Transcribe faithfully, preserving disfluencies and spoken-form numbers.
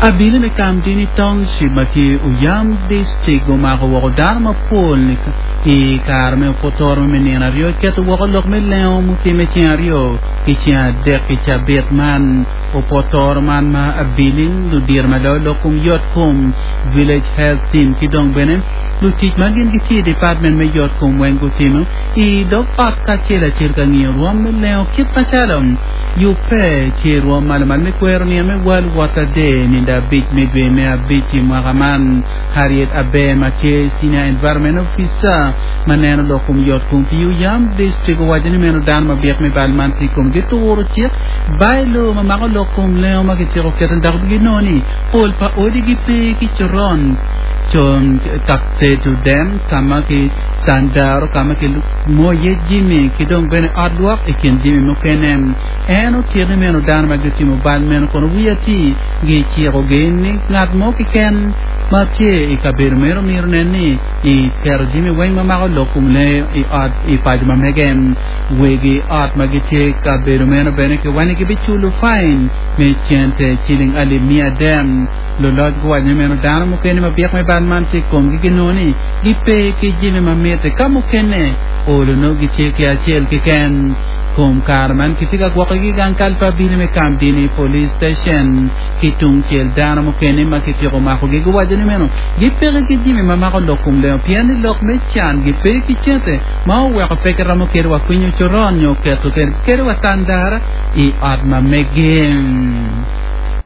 Abili me Kamdini Township ma tye Oyam District omako woko dano mapol i kare me opotoro me nino aryo keto woko lok me lengo mutime ceng aryo ki ceng adek ki cabit man opotoro man ma abili ludiro ma loyo lok kom yot kom village health team ki dong bene lutic ma gin gitye i department me yot kom weng gutimo i dog ot kacel acel ka ng'iyo rwom me lengo kit macalo yubbe tye rwom malo malo me kwero nino me World Water Day nindo abic me dwe me abic i mwaka man Harriet Aber ma tye senior environment officer ma neno lok kom yot kom pi Oyam District owaco ni meno dano mabyek me bal man tye i kom gituro cik bylaw ma mako lok kom lengo ma kityeko keto dok ginongo ni pol pa odi gipe ki coron con tedo dem ka ma ki tandaro ka ma ki moyo iye jami ki dong bene ot lwok i kin jami mukene en otito ni meno dano ma gitimo bal meno kono wiye ati gicikogi ni ngat mo keken ma tye i kabedo meno myero nen ni i keto jami weng ma mako lok kom lee i ot i paco ma mege wegi ot ma gitye i kabedo meno bene kiwaco ni gibiculo fine me cente ciling alip mia adek luloc guwaco ni meno dano mukene ma byek me bal man tye i komgi ginongo ni gipe ki jami ma mitte ka mukene olo nongo gitye ki acel keken kom kare man kitye ka gwokogi i gang kal pa abili me Kamdini Police Station ki tungcel dano mukene ma kityeko makogi guwaco ni meno gipeke ki jami ma mako lok kom lengo pien ni lok me can gipe ki cente ma oweko pe kiromo kede wa kwinyo coron nyo keto kede wa tandara i ot ma mege.